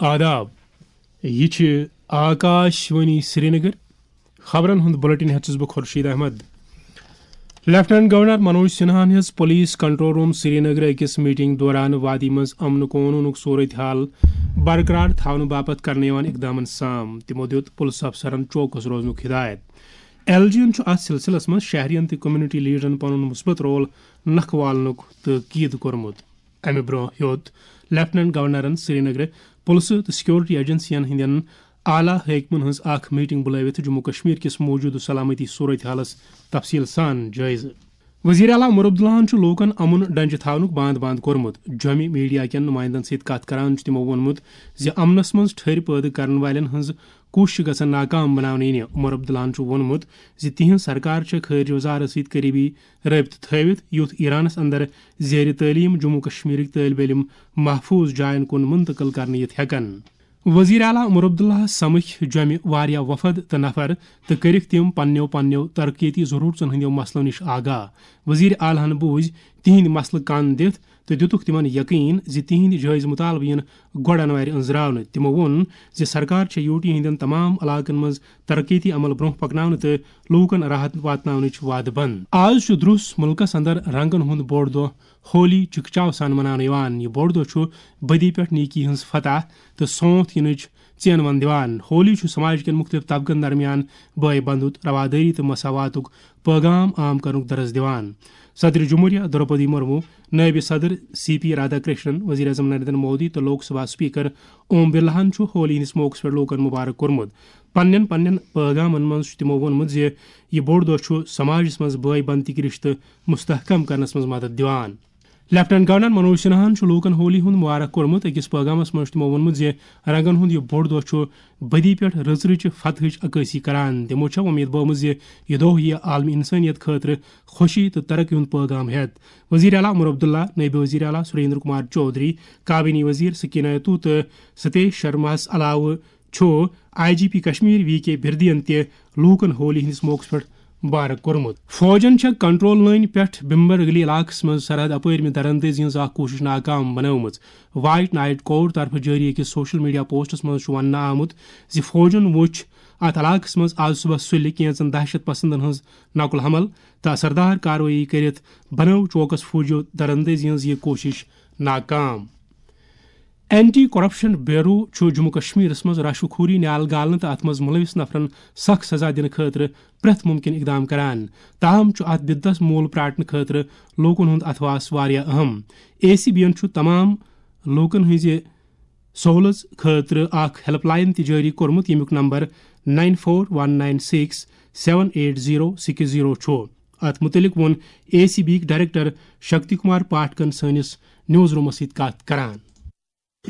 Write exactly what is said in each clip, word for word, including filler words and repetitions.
آداب، یہِ چھِ آکاش وانی سرینگر۔ خبرن ہُنٛد بُلٹن ہٮ۪تھ چھُس بہٕ خورشید احمد۔ لیفٹیننٹ گورنر منوج سنہاہن ہیٚژ پولیس کنٹرول روم سرینگر أکِس میٹنگ دوران وادی منٛز امن قونوٗنُک صورت حال برقرار تھاونہٕ باپتھ کرنہٕ یِوان اقدامن سام۔ تِمو دِیُت پُلسہٕ افسرن چوکس روزنُک ہدایت۔ ایل جی یَن چھُ اتھ سلسلس منٛز شہرین تہٕ کمیونٹی لیڈرن پنُن مثبت رول نکھٕ والنُک تٲکید کوٚرمُت۔ امہِ برونٛہہ ہیوٚت لیفٹیننٹ گورنرن سرینگرٕ پُلسہٕ تہٕ سیکورٹی ایجنسین ہٕنٛدٮ۪ن اعلیٰ حٲکمن ہٕنٛز اکھ میٹنگ بُلٲوِتھ جموں کشمیر کِس موجودٕ سلامتی صورت حالس تفصیل سان جٲیزٕ۔ وزیر اعلیٰ عمر عبداللہن چھُ لوٗکن امُن ڈنجہِ تھاونُک باند باند کوٚرمُت۔ جوٚمہِ میڈیا کٮ۪ن نمائندن سۭتۍ کتھ کران چھُ تِمو ووٚنمُت زِ امنس منٛز ٹھٔرۍ پٲدٕ کرن والٮ۪ن ہٕنٛز کوٗشش گژھن ناکام بناونہٕ یِنہِ۔ عمر عبداللہن چھُ ووٚنمُت زِ تِہنٛز سرکار چھےٚ خارجہ وزارت سۭتۍ قریبی رٲبطہٕ تھٲوِتھ، یُتھ ایرانس اندر زیر تعلیم جموں کشمیرٕکۍ طٲلب علم محفوظ جاین کُن منتقل کرنہٕ یِتھ ہٮ۪کن۔ وزیر اعلیٰ عمر عبداللہ سمکھۍ جوٚمہِ واریاہ وفد تہٕ نفر تہٕ کٔرِکھ تِم پننیو پننیو ترقیتی ضرورژن ہٕنٛدیو مسلو نِش آگاہ۔ وزیر اعلیٰ ہن بوٗزۍ تِہنٛدۍ مسلہٕ کن دِتھ تہٕ دِتُکھ تِمن یقین زِ تِہنٛدۍ جٲیزٕ مطالبہٕ یِن گۄڈٕ انوارِ أنٛزراونہٕ۔ تِمو ووٚن زِ سرکار چھےٚ یوٗ ٹی ہٕنٛدٮ۪ن تمام علاقن منٛز ترقیتی عمل برونٛہہ پکناونہٕ تہٕ لوٗکن راحت واتناونٕچ وعدٕ بنٛد۔ آز چھُ درُس مُلکس اندر رنگن ہُنٛد بوٚڑ دۄہ ہولی چکچاو سان مناونہٕ یِوان۔ یہِ بوٚڑ دۄہ چھُ بدی پٮ۪ٹھ نیکی ہٕنٛز فتح تہٕ سونٛتھ یِنٕچ ژینوَن دِوان۔ ہولی چھُ سماج کٮ۪ن مُختٔلِف طبقن درمیان بٲے بنٛدُت، روادٲری تہٕ مساواتُک پٲغام عام کرنُک درس دِوان۔ صدر جمہوریہ درٛوپدی مرمو، نٲیِب صدر سی پی رادھا کرشنن، وزیر اعظم نریندر مودی تہٕ لوک سبھا اسپیکر اوم برلاہن چھُ ہولی ہٕنٛدِس موقعس پٮ۪ٹھ لوٗکن مبارک کوٚرمُت۔ پننٮ۪ن پننٮ۪ن پٲغامن منٛز چھُ تِمو ووٚنمُت زِ یہِ بوٚڑ دۄہ چھُ سماجس منٛز بٲے بنٛدگی رشتہٕ مستحکم کرنس منٛز مدد دِوان۔ لیفٹیننٹ گورنر منوج سنہاہن چھُ لوٗکن ہولی ہُنٛد مبارک کوٚرمُت۔ أکِس پٲغامس منٛز چھُ تِمو ووٚنمُت زِ رنگن ہُنٛد یہِ بوٚڑ دۄہ چھُ بدی پٮ۪ٹھ رٕژ رٕچہِ فتحٕچ عکٲسی کران۔ تِمو چھےٚ وۄمید بٲومٕژ زِ یہِ دۄہ یِیہِ عالمی انسٲنیت خٲطرٕ خوشی تہٕ ترقی ہُنٛد پٲغام ہٮ۪تھ۔ وزیر اعلیٰ عمر عبداللہ، نٲیِب وزیر اعلیٰ سریندر کمار چودھری، کابینی وزیر سکینہ ایتو تہٕ ستیش شرماہس علاوٕ چھُ I G P Kashmir V K بردین تہِ لوٗکن ہولی ہٕنٛدِس موقعس پٮ۪ٹھ مبارک کوٚرمُت۔ فوجن چھےٚ کنٹرول لٲنہِ پٮ۪ٹھ بمبر ویلی علاقس منٛز سرحد اپٲرۍ مہِ درندٲزی ہٕنٛز اکھ کوٗشش ناکام بنٲومٕژ۔ وائٹ نائٹ کور طرفہٕ جٲری أکِس سوشل میڈیا پوسٹس منٛز چھُ وننہٕ آمُت زِ فوجن وُچھ اتھ علاقس منٛز آز صبح سُلہِ کینژن دہشت پسندن ہٕنٛز نقل حمل تہٕ اثردار کاروٲیی کٔرِتھ بنٲو چوکس فوجیو درندٲزی ہٕنٛز یہِ کوٗشش ناکام۔ اینٹی کرپشن بیورو چھُ جموں کشمیرس منٛز رشوٕ خوری، نیال گالنہٕ تہٕ اتھ منٛز ملوث نفرن سخت سزا دِنہٕ خٲطرٕ پرٛٮ۪تھ مُمکِن اقدام کران۔ تاہم چھُ اتھ بدعس مول پراٹنہٕ خٲطرٕ لوٗکن ہُنٛد اتھواس واریاہ اہم۔ اے سی بی ین چھُ تمام لوٗکن ہٕنٛزِ سہوٗلژ خٲطرٕ اکھ ہیلپ لائن تہِ جٲری کوٚرمُت، ییٚمیُک number nine four one nine six seven eight zero six zero چھُ۔ اتھ مُتعلق ووٚن اے سی بی یِکۍ ڈائریکٹر شکتی کمار پاٹھکن سٲنِس نیوز رومس سۭتۍ کتھ کران۔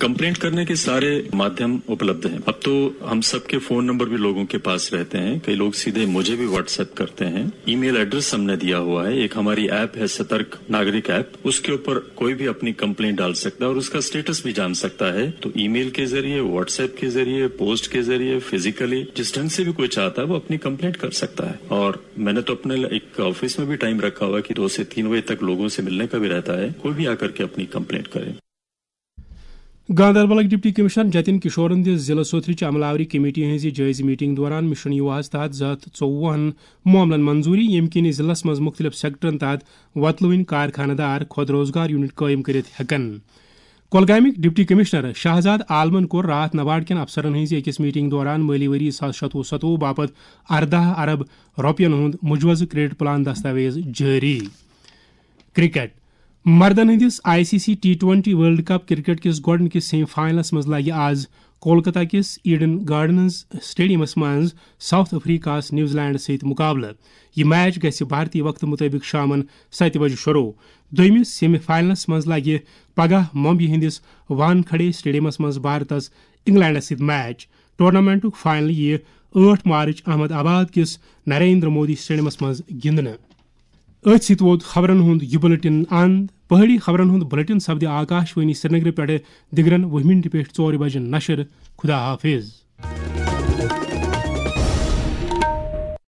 कंप्लेंट करने के सारे माध्यम उपलब्ध हैं। अब तो हम सबके फोन नंबर भी लोगों के पास रहते हैं। कई लोग सीधे मुझे भी व्हाट्सएप करते हैं। ईमेल एड्रेस हमने दिया हुआ है। एक हमारी ऐप है सतर्क नागरिक ऐप, उसके ऊपर कोई भी अपनी कंप्लेंट डाल सकता है और उसका स्टेटस भी जान सकता है। तो ईमेल के जरिए, व्हाट्सएप के जरिए, पोस्ट के जरिए, फिजिकली, जिस ढंग से भी कोई चाहता है वो अपनी कंप्लेंट कर सकता है। और मैंने तो अपने एक ऑफिस में भी टाइम रखा हुआ है कि दो से तीन बजे तक लोगों से मिलने का भी रहता है। कोई भी आकर के अपनी कंप्लेंट करे। گاندربلٕکۍ ڈپٹی کمشنر جتن کشورن دِژ ضلع سوتھرٕچ عملہ آوری کمیٹی ہٕنٛزِ جٲیزٕ میٹنگ دوران مشن یواہس تحت زٕ ہتھ ژوٚوُہن معاملن منظوٗری، ییٚمہِ کِنۍ ضلعس منٛز مُختٔلِف سیکٹرن تحت وۄتلوٕنۍ کارخانہٕ دار خود روزگار یونٹ قٲیِم کٔرِتھ ہٮ۪کن۔ کۄلگامٕکۍ ڈپٹی کمشنر شہزاد عالمن کوٚر راتھ نباڑ کٮ۪ن افسرن ہٕنٛزِ أکِس میٹنگ دوران مٲلی ؤری زٕ ساس شَتوُہ ستوُہ باپتھ ارداہ ارب رۄپین ہُنٛد مُجوزٕ کریڈٹ پلان دستاویز جٲری۔ کرکٹ۔ مردن ہٕنٛدِس I C C T twenty world cup cricket کِس گۄڈٕنِکِس سیمی فائنلس منٛز لگہِ آز کولکتہ کِس ایڈن گارڈنز اسٹیڈیمس منٛز ساؤتھ افریقہس نیوزی لینڈس سۭتۍ مقابلہٕ۔ یہِ میچ گژھِ بھارتی وقتہٕ مُطٲبِق شامن ستہِ بجہِ شروع۔ دوٚیمِس سیمی فائنلس منٛز لگہِ پگاہ ممبئی ہٕنٛدِس وانکھڑے اسٹیڈیمس منٛز بھارتس انگلینڈس سۭتۍ میچ۔ ٹورنامنٹُک فائنل یِیہِ ٲٹھ مارچ احمد آباد کِس نریندر مودی اسٹیڈیمس منٛز گِنٛدنہٕ۔ أتھۍ سۭتۍ ووت خبرن ہُنٛد یہِ بُلٹن اند۔ پہٲڑی خبرن ہُنٛد بُلٹن سپدِ آکاش وانی سرینگرٕ پٮ۪ٹھٕ دِگرن وُہ مِنٹہِ پٮ۪ٹھ ژورِ بجہِ نشر۔ خدا حافظ۔